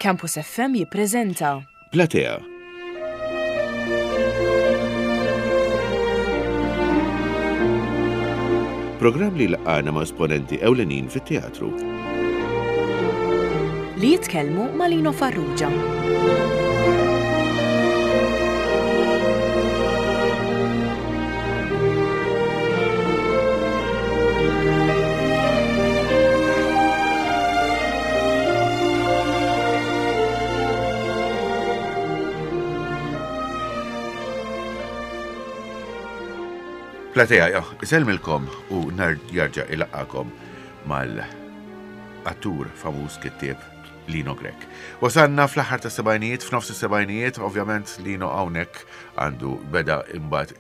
Campus FM jippreżenta. Platea. Programm li jlaqqagħna ma' esponenti ewlenin fit-teatru. Li jitkellmu ma' Lino Farrugia. Platea, jo, isellmilkom u nar jarġa ilaqqakom mal-attur famuż kittieb Lino Grech. Wasanna fl-aħħar ta' sebajnijiet, f'nofs is-sebajnijiet, ovvjament Lino hawnhekk għandu beda imbagħad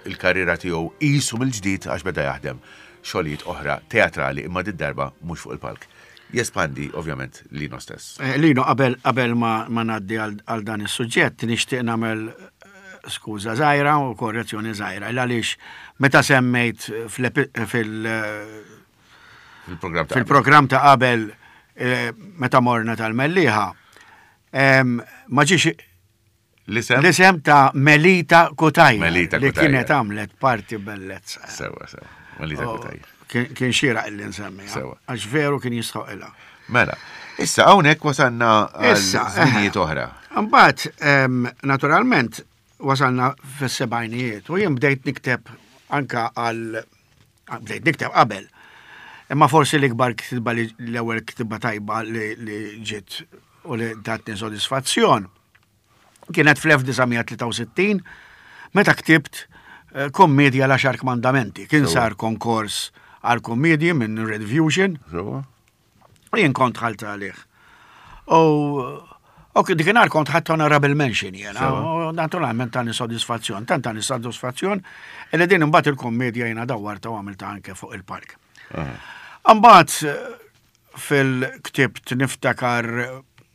il-karriera tiegħu qisu mill-ġdid għax beda jaħdem xogħlijiet oħra teatrali imma did-darba mhux fuq il-palk. Jespandi ovvjament Lino stess. Eh, Lino, qabel qabel ma, ma ngħaddi għal dan is-suġġett nixtieq nagħmel eh, skuża żgħira u korrezzjoni żgħira. Għaliex meta semmejt fil fil-programm ta' qabel eh, meta morna tal-Mellieħa, ma ġiex L-isem? L-isem ta' Melita Kutajja. Melita Li kienet għamlet parti bellezza. Sewa, sewa. Melita oh, Kutajja. Kien xira illi nsemmi. Sewa. Għax veru kien jistħoq ilha. Mela, issa hawnhekk wasalna għal żminijiet eh, oħra. Mbagħad, naturalment, wasalna fis-sebgħinijiet u jien bdejt nikteb anka għal bdejt nikteb qabel. Imma forsi l-ikbar kitba li l-ewwel kitba tajba li ġiet u li tatni sodisfazzjon Kienet fl-1963 meta ktibt eh, kommedja l-Għaxar Kmandamenti. Kien sar konkors għal kommedji minn Red Fusion. U jien kont ħalt għalih. U U dikinhar kont ħadd honorable mention jena. U naturalment tani sodisfazzjon, tant tani sodisfazzjon, li din imbagħad il-kommedja jiena dawwarta u għamilta anke fuq il-park. Imbagħad Fil-ktibt niftakar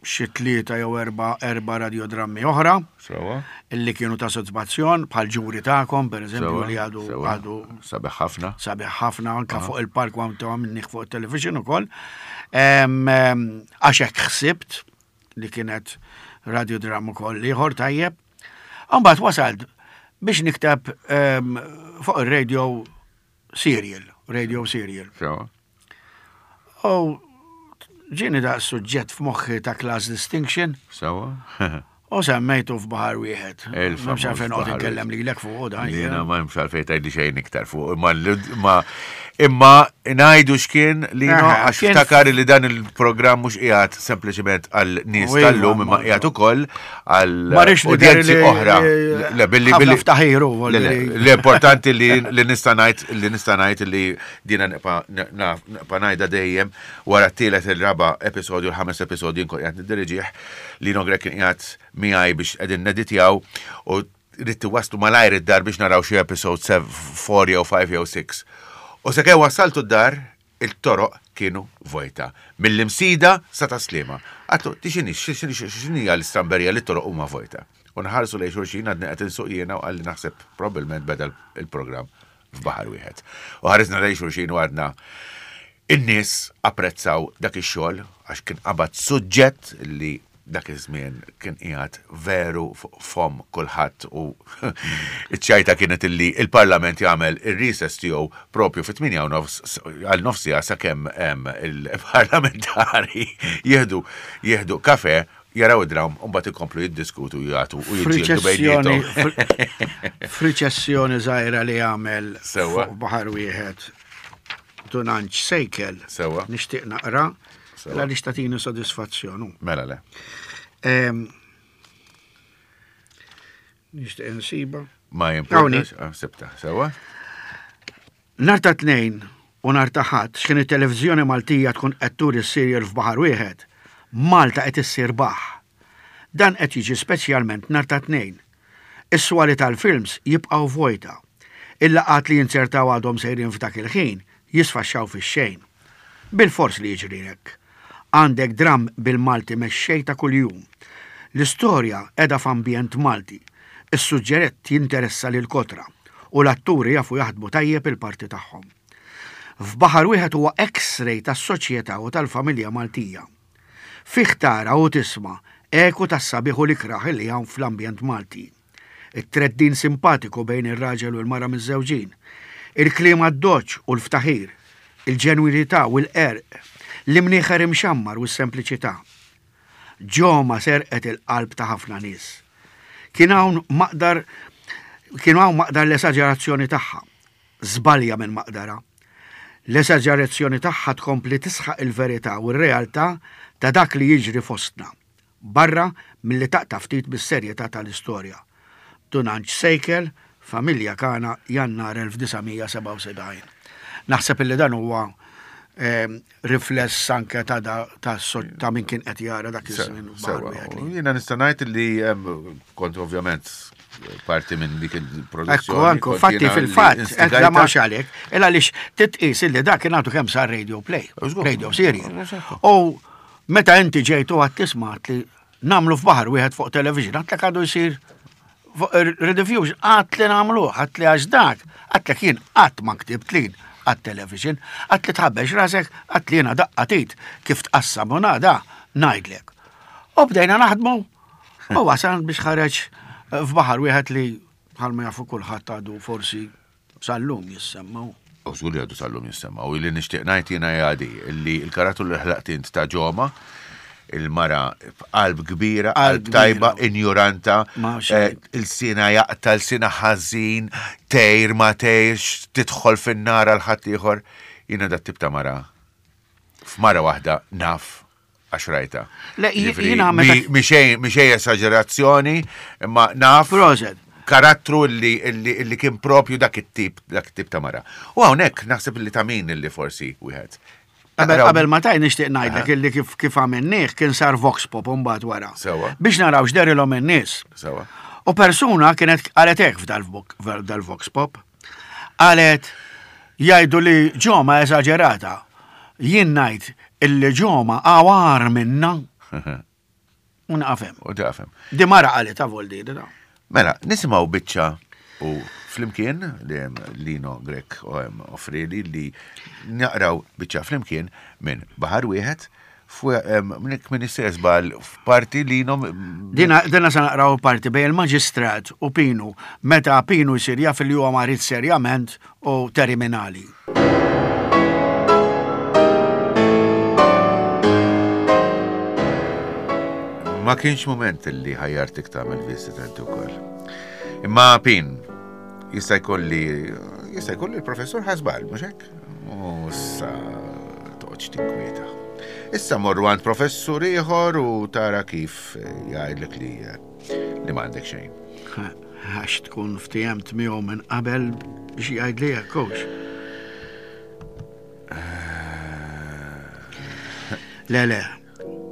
xi tlieta jew erba' erba' radiodrammi oħra. Sewa. Illi kienu ta' sodisfazzjon bħal ġuri tagħkom pereżempju li għadu għadu. Sabiħ ħafna. Sabiħ ħafna anke fuq il-park u għamilnih fuq it-television ukoll. Għax hekk ħsibt li kienet radiodram ukoll ieħor tajjeb. Imbagħad wasalt biex nikteb fuq ir-radio serial, radio serial. Sewa. U ġieni da suġġett f'moħħi ta' class distinction. Sewa. U semmejtu f'baħar wieħed. M'hemmx għalfejn noqgħod inkellem lilek fuq dan. Jiena ma hemmx għalfejn tgħidli xejn iktar fuq. Imma imma ngħidu x'kien li għax ftakar li dan il-programm mhux qiegħed sempliċement għal nies tal-lum imma qiegħed ukoll għal udjenzi oħra. Le billi billi ftaħiru. L-importanti li nista' ngħid li nista' ngħid li Dina nibqa' nibqa' ngħidha dejjem wara t-tielet il-raba' episodju l-ħames episodju nkun qiegħed niddiriġih Lino Grech kien qiegħed miegħi biex qegħdin neditjaw u ridt iwasslu malajr id-dar biex naraw xi episode 4 jew 5 jew 6. U sakemm wassaltu d-dar it-toroq kienu vojta. Mill-Imsida sa Tas-Sliema. Għadtlu, di x'inhi, x'inhija l-istramberija li t-toroq huma vojta? U nħarsu lejn xulxin għadni qed insuq jiena u qalli naħseb probbilment beda l-programm f'baħar wieħed. U ħarisna lejn xulxin u għadna in-nies apprezzaw dak ix-xogħol għax kien qabad suġġett li dak iż-żmien kien qiegħed veru fuq fomm kulħadd u iċ-ċajta kienet illi il-Parlament jagħmel ir-recess tiegħu propju fit-8 u nofs għal nofs siegħa sakemm il-parlamentari jieħdu jieħdu kafe jaraw id-dram u mbagħad ikomplu jiddiskutu jagħtu u jiġġieldu bejniethom. F'riċessjoni żgħira li għamel Sewwa. fuq baħar wieħed Dunanċ Sejkel. Sewwa. Nixtieq naqra Sewwa. għaliex tagħtini sodisfazzjon. hu. Mela le. Ehm, Nixtieq insiba. Ma jimpurtax, ah, sibta, sewwa. Nhar ta' Tnejn u nhar ta' Ħadd x'ħin it-televiżjoni Maltija tkun qed turi s-serial f'baħar wieħed, Malta qed issir baħħ. Dan qed jiġi speċjalment nhar ta' Tnejn. Is-swali tal-films jibqgħu vojta. Il-laqgħat li jinzertaw għadhom sejrin f'dak il-ħin jisfaxxaw fix-xejn. Bilfors li jiġri hekk. Għandek dramm bil-Malti mexxej ta' kuljum. L-istorja qiegħda f'ambjent Malti. Is-suġġerett jinteressa lill-kotra u l-atturi jafu jaħdmu tajjeb il-parti tagħhom. F'Baħar Wieħed huwa X-ray tas-soċjetà u tal-familja Maltija. Fih tara u tisma' eku tas-sabiħ u l-ikrah li hawn fl-ambjent Malti. It-treddin simpatiku bejn ir-raġel u l-mara miżżewġin, il-kliem addoċċ u l-ftaħir, il-ġenwinità u l-qerq, l-imnieħer imxammar u s-sempliċità. Ġoma serqet il-qalb ta' ħafna nies. Kien hawn maqdar kienu hawn maqdar l-esaġerazzjoni tagħha. Żbalja minn maqdarha. L-esaġerazzjoni tagħha tkompli tisħaq il-verità u r-realtà ta' dak li jiġri fostna. Barra milli taqta' ftit mis-serjetà tal-istorja. Dun Anġ Sejkel, Familja Kana, Jannar 1977. Naħseb illi dan huwa rifless anke ta' ta' min kien qed jara dak iż-żmien. Sewa, jiena nista' ngħid li kont ovvjament parti minn dik il-produzzjoni. Ekku, anku, fatti fil-fatt, qed la mhux għalek, il għaliex titqis illi dak kien għadu kemm sar radio play, radio serial. U Meta inti ġejt u għad tisma' li nagħmlu f'baħar wieħed fuq television, għadlek għadu jsir fuq rediffusion, għad li nagħmluh, għad li għax dak, għadlek jien qatt ma ktibt lin għat-television, għad li tħabbex rasek, għad li jiena daqqa tit kif tqassam u nada ngħidlek. U bdejna naħdmu u wasal biex ħareġ f'baħar wieħed li bħalma jafu kulħadd għadu forsi Sal-lum jissemma. U żgur li għadu sal-lum jissemma. U li nixtieq ngħid jiena hija di, li l-karattru li ħlaqt int ta' Ġoma, il-mara b'qalb kbira, qalb tajba, injuranta, eh, il-sina jaqta, il-sina ħażin, tejr ma tejrx, tidħol fin-nar għal ħaddieħor. Jiena dat tip ta' mara f'mara waħda naf għax rajta. Le, jiena meta. Mixej esagerazzjoni, imma naf. Proset. Karattru li, li, kien propju dak it-tip, dak it-tip ta' mara. U hawnhekk naħseb li ta' min li forsi wieħed. Qabel ma taj nixtieq ngħidlek illi kif kif għamilnieh kien sar vox pop mbagħad wara. Sewa. Biex naraw x'derilhom in-nies. Sewa. U persuna kienet qalet hekk f'dal-vox pop. Qalet jgħidu li ġoma eżaġerata. Jien ngħid illi ġoma għawar minna. U naqafem. U naqafem. Di mara qalet avoldi. Mela, nisimgħu biċċa u flimkien li hemm Lino Grek u hemm offrili li naqraw biċċa flimkien minn Baħar Wieħed Mnik min istess bal f'parti li nom. Dina, dina sa naqraw parti bej il-maġistrat u Pinu, meta Pinu jsir jaf li huwa marid serjament u terminali. Ma kienx mument li ħajjartik tagħmel viżita inti wkoll. Imma Pin, jista' jkolli jista' jkolli l-professur ħasbal, mhux hekk? U issa toqgħodx tinkwieta. Issa morru għand professur ieħor u tara kif jgħidlek li li m'għandek xejn. Għax tkun ftijemt miegħu minn qabel biex jgħidli hekk hux. Le, le,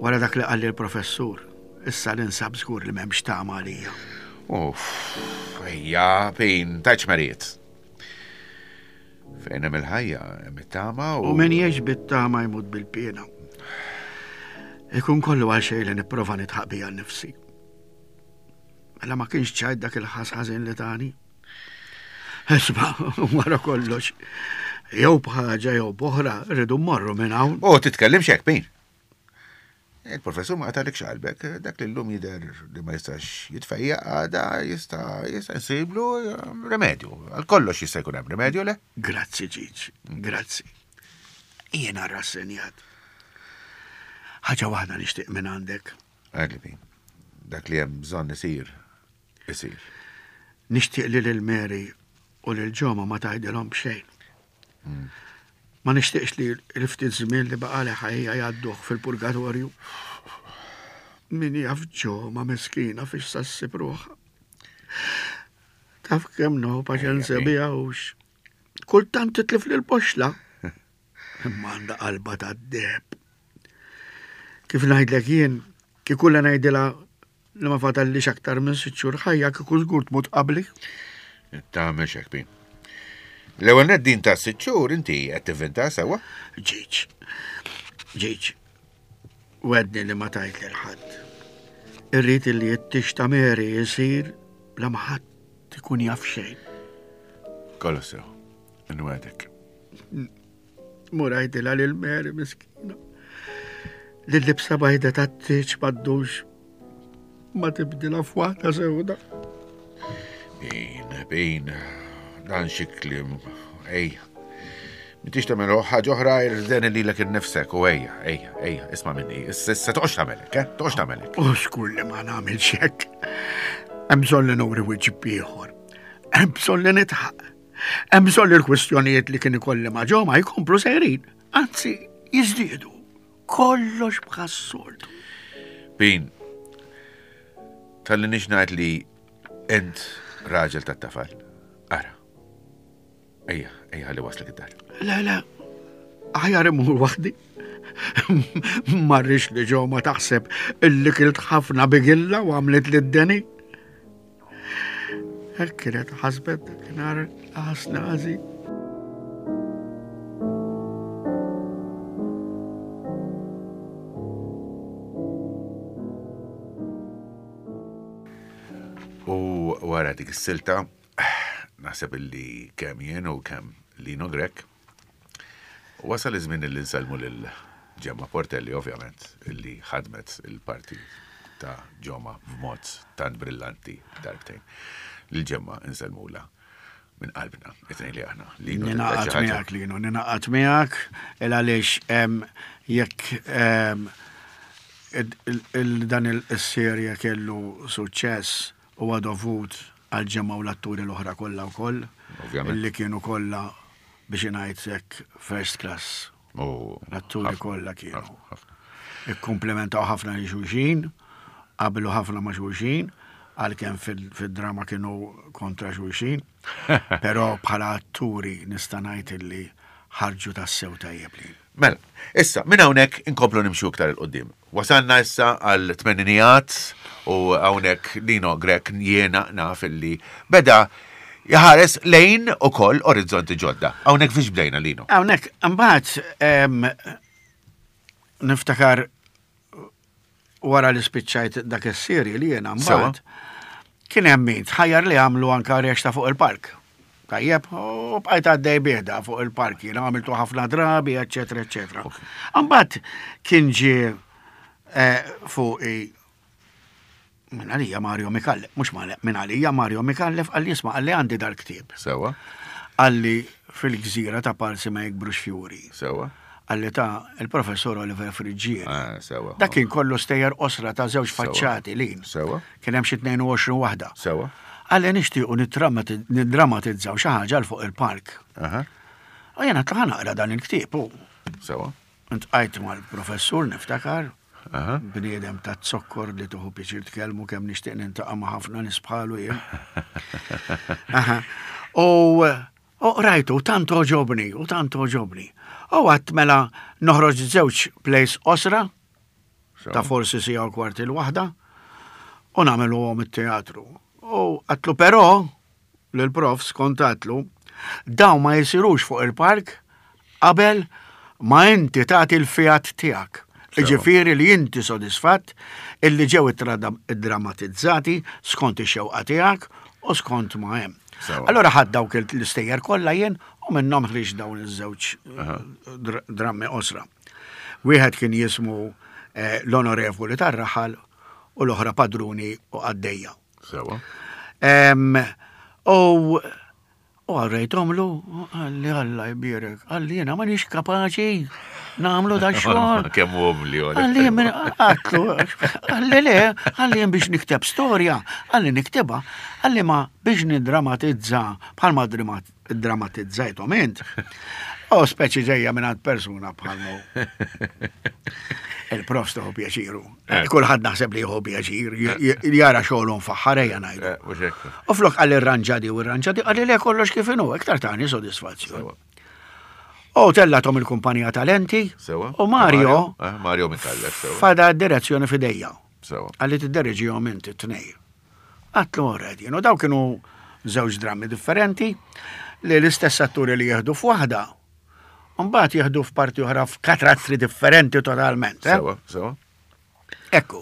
wara dak li qalli l-professur, issa ninsab żgur li m'hemmx tama għalija. Uff, ejja, pin, tajċ mariet. Fejn hemm il-ħajja, hemm it-tama u. U min jgħix bit-tama jmut bil-piena. Ikun kollu għal xejn li nipprova nitħaq bija nnifsi. Mela ma kienx ċajt dak il-ħas ħażin li tani. Isma' wara kollox, jew b'ħaġa jew b'oħra rridu mmorru minn hawn. U titkellimx hekk, Pin. Il-professur ma qatalikx qalbek, dak li llum jidher li ma jistax jitfejjaq għada jista' jista' jsiblu eh, remedju. Għal kollox jista' jkun hemm remedju le? Grazzi Ġiġ, grazzi. Jiena rassenjat. Ħaġa waħda nixtieq minn għandek. Għadli, dak li hemm bżonn isir, isir. Nixtieq li lil Mary u lil Ġoma ma tgħidilhom b'xejn. Ma nixtieqx li l-ftit żmien li baqali ħajja jgħadduh fil-purgatorju. Min jaf ġo ma miskina fiex sa ssib ruħha. Taf kemm no paċenzja biha hux. Kultant titlif lil poxla. Imma għandha qalba tad-deheb. Kif ngħidlek jien, kieku la ngħidilha Li ma fadallix aktar minn sitt xhur ħajja kieku żgur tmut qabli. Tagħmel xek bin. L-ewwel nett din ta' sitt xhur inti qed tivvinta sewwa? Ġiġ. Ġiġ. Wedni li ma tajt lil ħadd. Irrid li t-tix ta' Mary jsir bla ma ħadd ikun jaf xejn. Kollox sew. Nwedek. Mur għajdilha lil Mary miskina. Li l-libsa bajda tat-tieġ m'għaddux ma tibdilha f'waħda sewda. Bin, bin, dan xi kliem, ejja. M'intix tagħmel ħaġa oħra irden lilek innifsek u ejja, ejja, ejja, isma' minni, issa toqgħodx tagħmel hekk, eh? Toqgħodx tagħmel hekk. U xkur li ma nagħmilx hekk. Hemm bżonn li nuri wiċċ ieħor. Hemm bżonn li nitħaq. Hemm bżonn li l-kwistjonijiet li kien ikolli ma' ġoma jkomplu sejrin, anzi jiżdiedu. Kollox bħas-soltu. Bin, tal-li nix ngħid li int raġel tat-tafal. Ara. Ejja, ejja ħalli waslek id-dar. Le, le, aħjar imur waħdi. Marrix li ġo ma taħseb illi kilt ħafna bigilla u għamlet li d-deni. Hekk kienet ħasbet dakinhar ħasna ħażin. U wara dik is-silta Naħseb illi kemm jien u kemm Lino Grech wasal iż-żmien illi nsellmu lil Gemma Portelli ovvjament illi ħadmet il-parti ta' Ġoma b'mod tant brillanti darbtejn. Lil Gemma nsellmula minn qalbna, it-tnejn li aħna. Lino, Ninaqat miegħek Lino, ninaqat miegħek il għaliex jekk dan il-serje kellu suċċess Huwa dovut għall-ġemgħa u l-atturi l-oħra kollha wkoll. Ovvjament. Li kienu kollha biex ingħid hekk first class. L-atturi kollha kienu. Ikkumplementaw ħafna lil xulxin, qablu ħafna ma' xulxin, għalkemm fid-drama kienu kontra xulxin. Però bħala atturi nista' ngħid illi ħarġu tassew tajjeb li. Mela, issa, minn hawnhekk inkomplu nimxu iktar 'il quddiem. Wasalna issa għal tmeninijat u hawnhekk Lino Grech jiena naf illi beda jħares lejn ukoll orizzonti ġodda. Hawnhekk fiex bdejna Lino? Hawnhekk imbagħad niftakar wara li spiċċajt dak is-serje li jiena mbagħad kien hemm min tħajjar li għamlu anka reċta fuq il-park. Tajjeb, u bqajt għaddej bih da fuq il-park, jiena għamiltu ħafna drabi, eċetera, eċetera. Mbagħad kien ġie eh, fuqi minn għalija Mario Mikallef, mhux minn għalija Mario Mikallef qalli isma' qalli għandi dal-ktieb. Sewa. Qalli fil-gżira ta' Parsi ma jikbrux fjuri. Sewa. Qalli ta' il-professur Oliver Friggieri. Ah, sewa. Dak kien kollu stejjer qosra ta' żewġ faċċati lin. Sewa. Kien hemm xi 22 waħda. Sewa. Qalli nixtiequ niddramatizzaw xi ħaġa 'l fuq il-park. U jiena għedt ħa naqra dan il-ktieb u. Sewa. Intqajt mal-professur niftakar. Bniedem ta' zokkor li tuħu pjaċir tkellmu kemm nixtieq nintaqa' ma' ħafna nies bħalu jien. U rajtu, tant oġobni, u tant oġobni. U għat mela noħroġ żewġ plays qosra, ta' forsi sija u kwart il-waħda, u nagħmluhom it-teatru. U għatlu però, lill-profs kont għadtlu, dawn ma jsirux fuq il-park qabel ma inti tagħti l-fiat tiegħek. Jiġifieri li inti sodisfatt illi ġew iddramatizzati skont ix-xewqa tiegħek u skont ma hemm. Allura ħadt dawk l-istejjer kollha jien u minnhom ħriġt dawn iż-żewġ drammi qosra. Wieħed kien jismu eh, L-Onorevoli tar-Raħal u l-oħra Padruni u Qaddejja. Sewa. U u għarrejtomlu, għalli Alla jbierek, għalli jena ma nix kapaċi namlu da xogħol. Kemm u li Għalli minn għatlu, għalli le, għalli jen biex nikteb storja, għalli nikteba, għalli ma biex nidramatizza bħalma dramatizzajthom int. U speċi ġejja minn għand persuna bħal mu. Il-profs tuħu pjaċiru. Eh. Kulħadd naħseb li jieħu pjaċir, eh. jara xogħlu mfaħħar ejja ngħidu. Eh, u flok għal irranġadi u irranġadi għalli le kollox kif inhu, iktar tani sodisfazzjon. U tellatom il-kumpanija Talenti. U Mario. Mario Mikallef. Fada d-direzzjoni fidejja. Għalli tidderġihom inti t-tnej. Għatlu already, you know, daw kienu żewġ drammi differenti li l-istess atturi li jieħdu f'waħda, mbagħad jieħdu f'parti oħra f'katrazzi differenti totalment. Eh? Sewa, sewa. Ekku.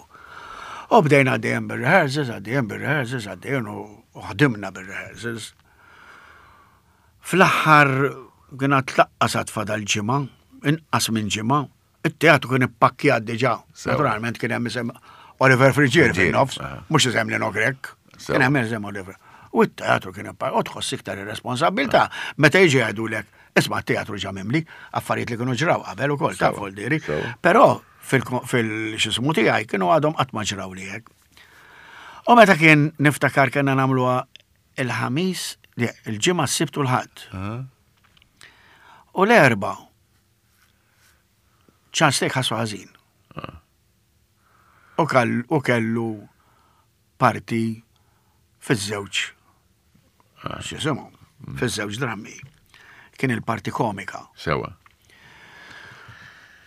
U bdejna għaddejjem bil-rehearsals, għaddejjem bil-rehearsals, għaddejjem u ħdimna bil-rehearsals. Fl-aħħar kien għad tlaqqas għad fadal ġimgħa, inqas minn ġimgħa. It-teatru kien ippakkjat diġà. Naturalment kien hemm isem Oliver Friggieri fin-nofs, mhux isem Lino Grech. Kien hemm isem Oliver. U t-teatru kien ippakkjat, u tħoss iktar ir-responsabbiltà meta jiġi jgħidulek, isma' t-teatru ġa mimli, affarijiet li kienu ġraw qabel ukoll ta' voldiri. Però fil-xismu tiegħi kienu għadhom qatt ma ġraw li hekk. U meta kien niftakar kellna nagħmluha il-ħamis, il-ġimgħa s-sibt u l-ħadd. U l-erba' Charles Lake ħassu ħażin. Ah. U kellu parti fiż-żewġ ah. x'jisimhom, mm. fiż-żewġ drammi. Kien il-parti komika. Sewa.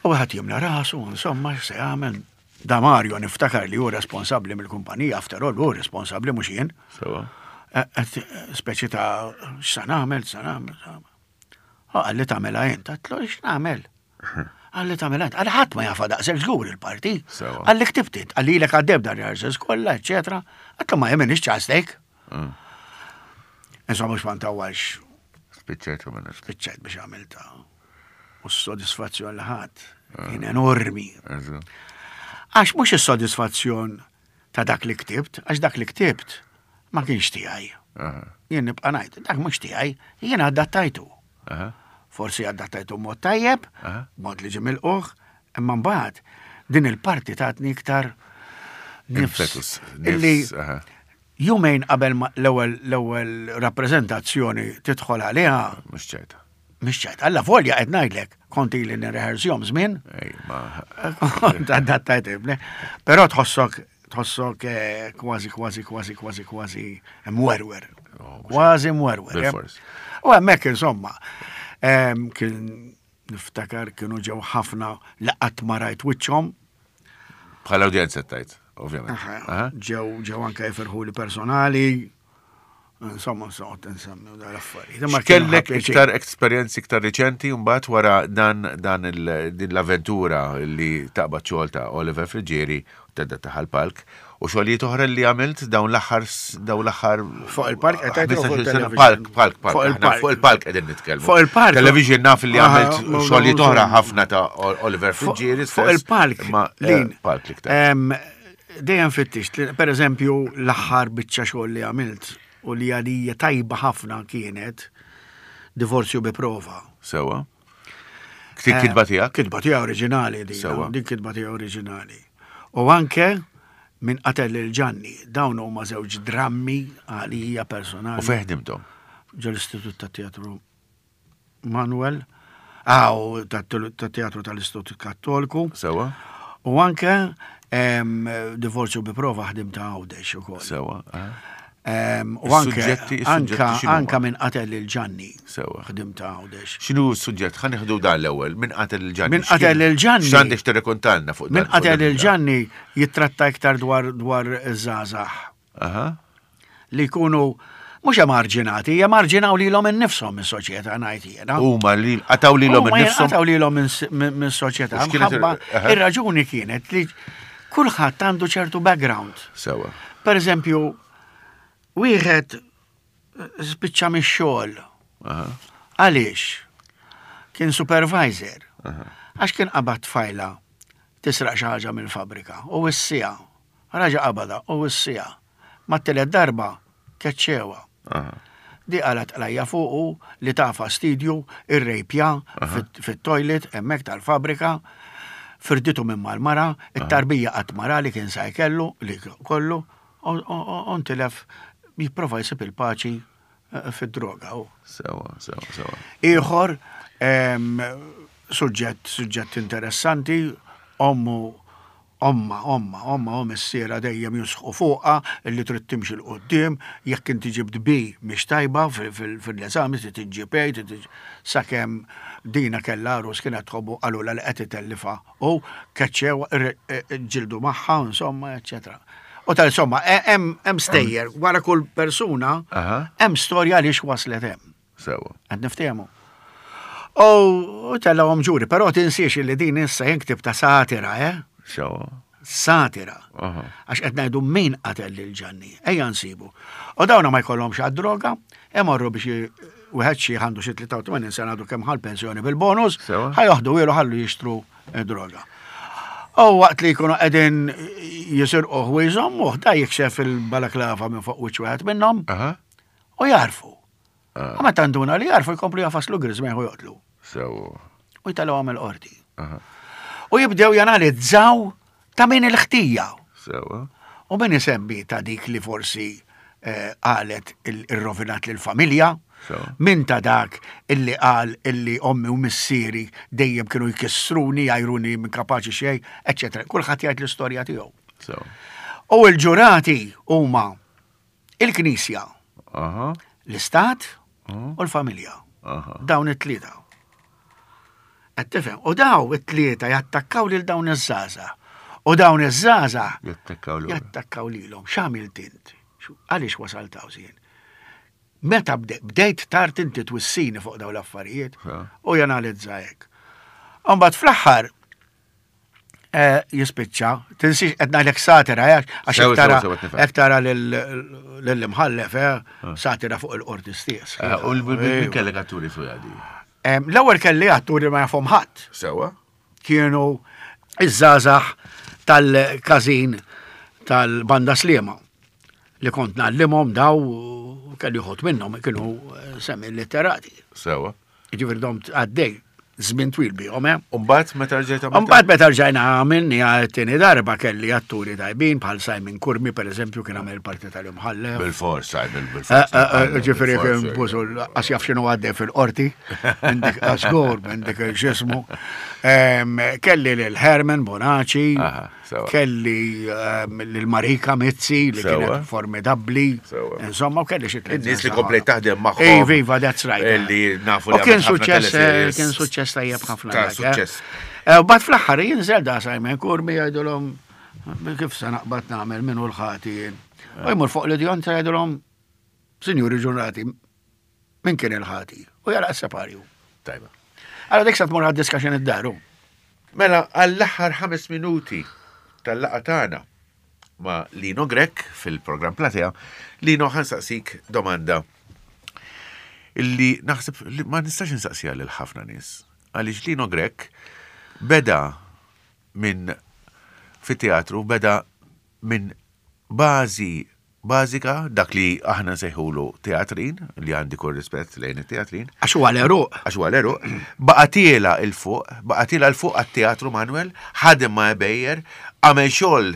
U għat jimla rasu, insomma, se jagħmel. Da Mario niftakar li hu responsabbli mill-kumpanija, after all, hu responsabbli mhux jien. Sewa. Eh, eh, speċi ta' x'sa nagħmel, x'sa nagħmel. U qalli tagħmilha int, għedtlu x'nagħmel? Qalli tagħmilha int, qalli ħadd ma jafha daqshekk żgur il-parti. Qalli ktibt int, qalli ilek għaddej b'dan rehearsals kollha, eċetera. Għedtlu ma jien m'iniex ċastek. Mm. Insomma mhux ma ntawwalx. Spiċċajt u minna. Spiċċajt biex għamilta. U s-sodisfazzjon li ħadd ah. kien enormi. Għax mhux is-sodisfazzjon ta' dak li ktibt, għax dak li ktibt ma kienx tiegħi. Jien nibqa' ngħid, dak mhux tiegħi, jien adattajtu. Forsi adattajtu mod tajjeb, mod li ġie milquh, imma mbagħad din il-parti tatni iktar nifs. Illi jumejn qabel l-ewwel l-ewwel rappreżentazzjoni tidħol għaliha. Mhux ċerta. Mhix ċajt, alla volja qed ngħidlek, kont ili nirrehearsjhom żmien. Kont adattajt ibni. Però tħossok tħossok eh, kważi kważi kważi kważi kważi mwerwer. Oh, kważi mwerwer. Eh. U hemmhekk insomma, kien niftakar kienu ġew ħafna li qatt ma rajt wiċċhom. Bħala udjenza tajt, ovvjament. Ġew ġew anke jifirħu li personali. Insomma, soqgħod insemmi u l-affarijiet. Kellek iktar esperjenzi iktar riċenti mbagħad wara dan dan din l-avventura li taqbad xogħol ta' Oliver Friggieri u tedda taħal palk u xogħlijiet oħra li għamilt dawn l-aħħar dawn l-aħħar fuq il-park qed tgħid palk palk palk fuq il-palk qegħdin nitkellmu. Fuq il-park. Television naf li għamilt xogħlijiet oħra ħafna ta' Oliver Friggieri. Fuq il-palk. Ma eh, palk l-iktar. Dejjem fittixt, per eżempju, l-aħħar biċċa xogħol li għamilt u li għalija tajba ħafna kienet Divorzju bi prova. Sewa. Dik kitba tiegħek? Kitba tiegħi oriġinali din. Sewa. Din kitba tiegħi oriġinali. U anke min qatel lil Ġanni, dawn huma żewġ drammi għalija personali. U fejn ħdimthom? Ġol-Istitut tat-Teatru Manuel, għaw tat-teatru tal-Istitut Kattoliku. Sewa. U anke divorzju bi prova ħdim ta' Għawdex ukoll. Sewa. U anke anka minn qatel lil Ġanni. Sewa. Ħdim ta' Għawdex. X'inhu s-suġġett? Ħa nieħdu dan l-ewwel, minn qatel lil Ġanni. Minn qatel lil Ġanni. X'għandek tirrekontalna fuq dan? Minn qatel lil Ġanni jittratta iktar dwar dwar iż-żgħażagħ. Li jkunu mhux emarġinati, jemarġinaw lilhom innifshom mis-soċjetà ngħid jiena. Huma li qataw lilhom innifshom. Qataw lilhom mis-soċjetà. Mħabba ir-raġuni kienet li kulħadd għandu ċertu background. Sewa. Per eżempju, wieħed spiċċa mix-xogħol. Għaliex? Kien supervisor. Għax kien qabad tfajla tisraq xi ħaġa mill-fabrika u wissija. Raġa' qabadha u wissiha. Mat-tielet darba, keċċewha. Di qalgħet qlajja fuqu li ta fastidju, irrejpja fit-toilet hemmhekk tal-fabbrika, firditu minn mal-mara, it-tarbija qatt ma ra li kien sa jkellu, li kollu, u ntilef jipprova jsib il-paċi fid-droga. Sewa, sewa, sewa. Ieħor, suġġett, suġġett interessanti, ommu Ommha, ommha, ommha u missierha dejjem jisħqu fuqha li trid timxi 'l quddiem, jekk inti ġibt B mhix tajba fil-eżami trid iġġib A, trid iġġib sakemm Dina kellha għarus kienet tħobbu qalulha li qed itellifha u keċċewha ġġieldu magħha insomma eċċetera. U tal insomma hemm stejjer wara kull persuna hemm storja għaliex waslet hemm. Sewa. Qed niftehmu. U tellgħuhom ġuri, però tinsiex li din issa jien ktibta satira, eh? Sewa. Satira. Għax qed ngħidu min qatel lil Ġanni. Ejja nsibu. U dawna ma jkollhomx għad-droga, imorru biex wieħed xi għandu xi 83 sena għadu kemm ħal pensjoni bil-bonus, ħa joħdu ilu ħallu jixtru Droga. U waqt li jkunu qegħdin jisirqu ħwieżhom, u da jikxef il-balaklava minn fuq wiċċ wieħed minnhom u jarfu. U meta nduna li jarfu jkomplu jafaslu griżmejh u joqtlu. Sew. U jtalgħu għamel qorti. U jibdew janalizzaw ta' min il-ħtija. Sewa. U min isemmi ta' dik li forsi eh, qalet il-rovinat lill-familja, min ta' dak illi qal illi ommi u missieri dejjem kienu jkissruni, jgħajruni minn kapaċi xejn, eċċetera. Kulħadd jgħid l-istorja tiegħu. U l-ġurati huma il-Knisja, l-Istat u l-familja. Dawn it-tlieta. Qed tifhem? U daw it-tlieta jattakkaw lil dawn iż-żgħażagħ. U dawn iż-żgħażagħ jattakkaw lilhom. X'għamilt int? Għaliex wasalt hawn żien? Meta bdejt tard inti twissini fuq dawn l-affarijiet u janalizza hekk. Imbagħad fl-aħħar eh, jispiċċa, tinsiex qed ngħidlek satira, eh, għax hekk tara lill-imħallef, eh, ah. satira fuq il-qorti stess. U l-min kellek atturi fuq għadi? L-ewwel kelli atturi ma jafhom ħadd. Sewa. Kienu iż-żgħażagħ tal-każin tal-Banda Sliema li kont ngħallimhom daw kelli uħud minnhom kienu semi litterati. Sewa. Ġifieri domt għaddej żmien twil bihom, eh? Umbagħad meta rġajt għamilt? Umbagħad meta rġajna għamilni għal-tieni darba kelli atturi tajbin bħal Simon Curmi pereżempju kien għamel parti tal-imħallef. Bil-fors, Simon, bil-fors. Eh, eh, eh, ġifieri kien bużu għas jaf x'inhu għaddej fil-qorti, minn dik żgur, minn dik x'ismu. Kelli lil Herman Bonaci, Kelli ehm, l-Marika Mizzi li kienet formidabbli. Insomma, u kelli xi tliet. Nies li komplejt taħdem magħhom. Ej, viva, that's right. Li nafu li kien suċċess, eh, kien suċċess tajjeb ħafna. Ta' eh. suċċess. Eh, u bat fl-aħħar jinżel da Simon Kurmi jgħidulhom kif se naqbad nagħmel minn u l-ħati. U jmur fuq l-idjon jgħidulhom, Sinjuri ġurnati, Min kien il-ħati? U jara s-separju. Tajba. Għara dik sa tmur għad-diska xejn id-daru. Mela għall-aħħar ħames minuti tal-laqa tagħna ma' Lino Grech fil-programm Platea, Lino ħansaqsik domanda illi naħseb li ma nistax insaqsiha lil ħafna nies. Għaliex Lino Grech beda minn fit-teatru beda minn bażi bażika, dak li aħna nsejħulu teatrin, li għandi kull rispett lejn it-teatrin. Għax huwa l-għeruq. Għax huwa l-għeruq. Baqa' tiela' 'l fuq, baqa' tiela' 'l fuq għat-Teatru Manuel, ħadem ma' Ebejer, għamel xogħol,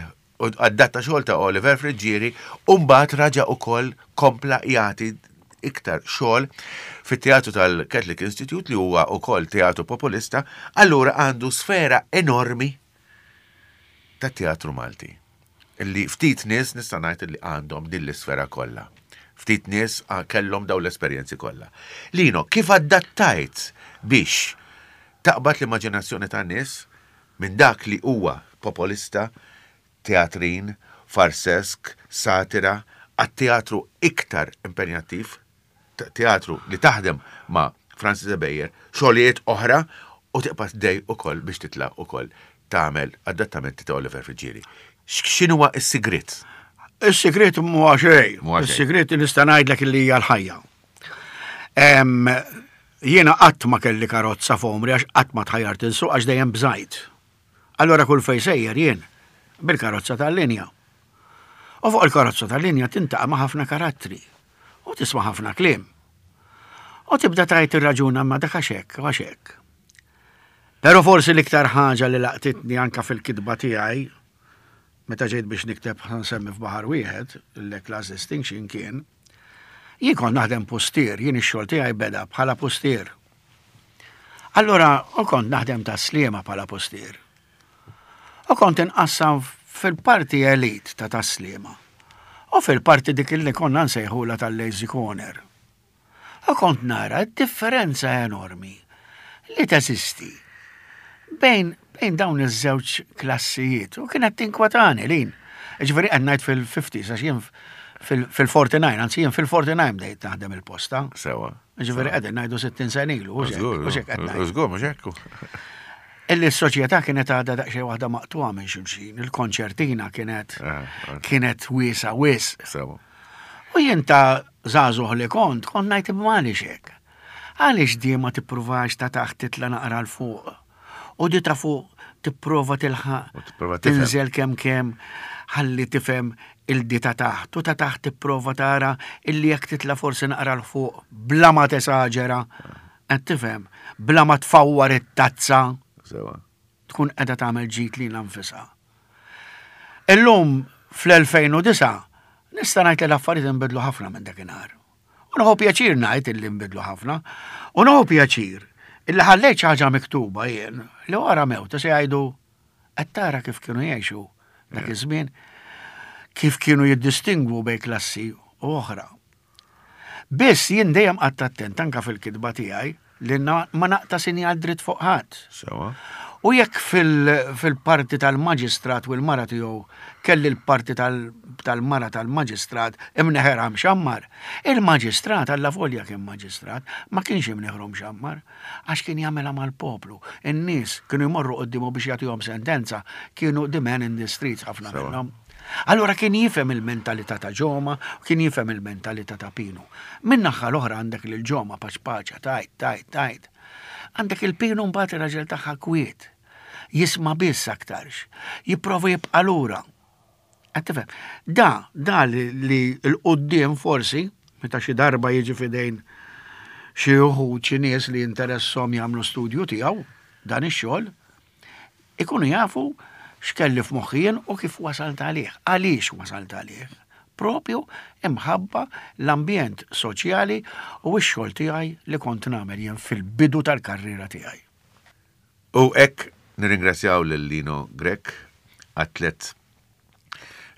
adatta xogħol ta' Oliver Friggieri, u mbagħad raġa' ukoll kompla jagħti iktar xogħol fit-teatru tal-Catholic Institute li huwa wkoll teatru populista, allura għandu sfera enormi tat-teatru Malti. Illi ftit nies nista' ngħid li għandhom din l-isfera kollha. Ftit nies kellhom dawn l-esperjenzi kollha. Lino, kif adattajt biex taqbad l-immaġinazzjoni tan-nies minn dak li huwa popolista, teatrin, farsesk, satira, għat-teatru iktar impenjattiv teatru li taħdem ma' Francis Ebejer, xogħlijiet oħra u tibqa' dej ukoll biex titla' ukoll tagħmel adattamenti ta' Oliver Friggieri. X'inhuwa s-sigriet? Is-sigriet mhuwa xejn. Is-sigriet nista' ngħidlek li hija l-ħajja. Jiena qatt ma kelli karozza f'għomri għax qatt ma tħajjart insuq għax dejjem bżajt. Allura kull fejn sejjer jien bil-karozza tal-linja. U fuq il-karozza tal-linja tintaqa' ma' ħafna karattri u tisma' ħafna kliem. U tibda tgħid tirraġuna ma dak għax hekk u għax hekk. Però forsi l-iktar ħaġa li laqtitni anka fil-kitba tiegħi meta ġejt biex nikteb nsemmi f'baħar wieħed, l-class distinction kien, jien kont naħdem pustier, jien ix-xogħol tiegħi beda bħala pustier. Allura, u kont naħdem ta' sliema bħala pustier. U kont inqassam fil-parti elit ta' Tas-Sliema u fil-parti dik li konna nsejħulha tal-Lazy Corner. U kont nara d-differenza enormi li teżisti bejn bejn dawn iż-żewġ klassijiet u kienet tinkwetani lin. Ġifieri qed ngħid fil-50s għax jien fil-49, anzi jien fil-49 bdejt naħdem il-posta. Sewa. Ġifieri qegħdin ngħidu 60 sena ilu, hux hekk, hux hekk qed ngħid. Żgur, mhux hekk. Illi s-soċjetà kienet għadha daqsxejn waħda maqtugħa minn xulxin, il-konċertina kienet eh, eh. kienet wiesa wisq. Sewa. U jien ta' żagħżugħ li kont, kont ngħid imma għaliex hekk? Għaliex di ma tippruvax ta' taħt titla' naqra 'l fuq? U di ta' fuq. Tipprova tilħaq, U tipprova tifhem. tinżel kemm kemm ħalli tifhem il-di ta' taħt u ta' taħt tipprova tara illi jekk titla' forsi naqra 'l fuq bla ma tesaġera, qed tifhem, bla ma tfawwar it-tazza. Sewa. Tkun qiegħda tagħmel ġid lilha nfisha. Illum fl-2009 nista' ngħid li l-affarijiet inbidlu ħafna minn dakinhar. U nieħu pjaċir ngħid illi nbidlu ħafna. U nieħu pjaċir illi ħallejt xi ħaġa miktuba jien li wara mewti se jgħidu qed tara kif kienu jgħixu dak iż-żmien, kif kienu jiddistingwu bejn klassi u oħra. Biss jien dejjem qgħadt attent anke fil-kitba tiegħi li ma naqta' sinjal dritt fuq ħadd. Sewa. U jekk fil-parti tal-maġistrat u l-mara tiegħu kelli l-parti tal-mara tal-maġistrat imneħerha mxammar, il-maġistrat allavolja kien maġistrat ma kienx imneħru mxammar għax kien jagħmilha mal-poplu. In-nies kienu jmorru quddiemu biex jagħtihom sentenza, kienu the man in the streets ħafna minnhom. Allura kien jifhem il-mentalità ta' Ġoma u kien jifhem il-mentalità ta' Pinu. Min-naħa l-oħra għandek lil Ġoma paċpaċa, tgħid, tgħid, tgħid. Għandek il-Pinu mbagħad ir-raġel tagħha kwiet. Jisma' biss aktarx. Jipprova jibqa' lura. Qed tifhem? Da, da li l-quddiem forsi, meta xi darba jiġi f'idejn xi wħud xi nies li jinteresshom jagħmlu studju tiegħu dan ix-xogħol, Ikunu jafu x'kelli f'moħħi jien u kif wasalt għalih, għaliex wasalt għalih. Propju imħabba l-ambjent soċjali u x-xogħol tiegħi li kont nagħmel jien fil-bidu tal-karriera tiegħi. U hekk nirringrazzjaw lil Lino Grech għat-tlett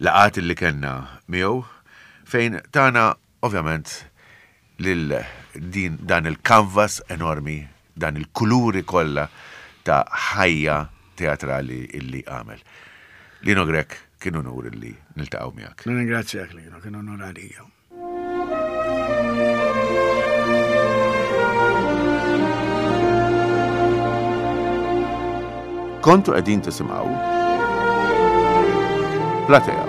laqgħat li kellna miegħu fejn tana ovvjament lil din dan il-kanvas enormi, dan il-kuluri kollha ta' ħajja teatrali illi għamel. Lino Grech, kien unur illi niltaqgħu miegħek. Nirringrazzjak Lino, kien unur għalija. Kontu qegħdin tisimgħu Platea.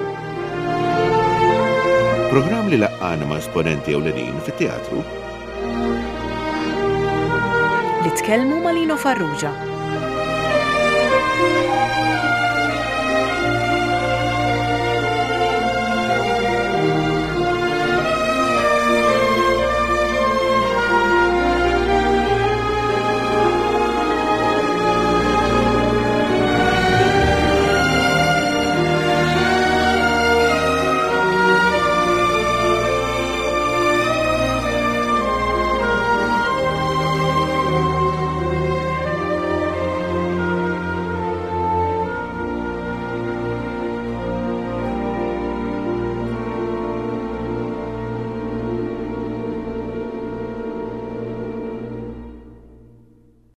Programm li laqqana ma' esponenti ewlenin fit-teatru. Li tkellmu ma' Lino Farrugia.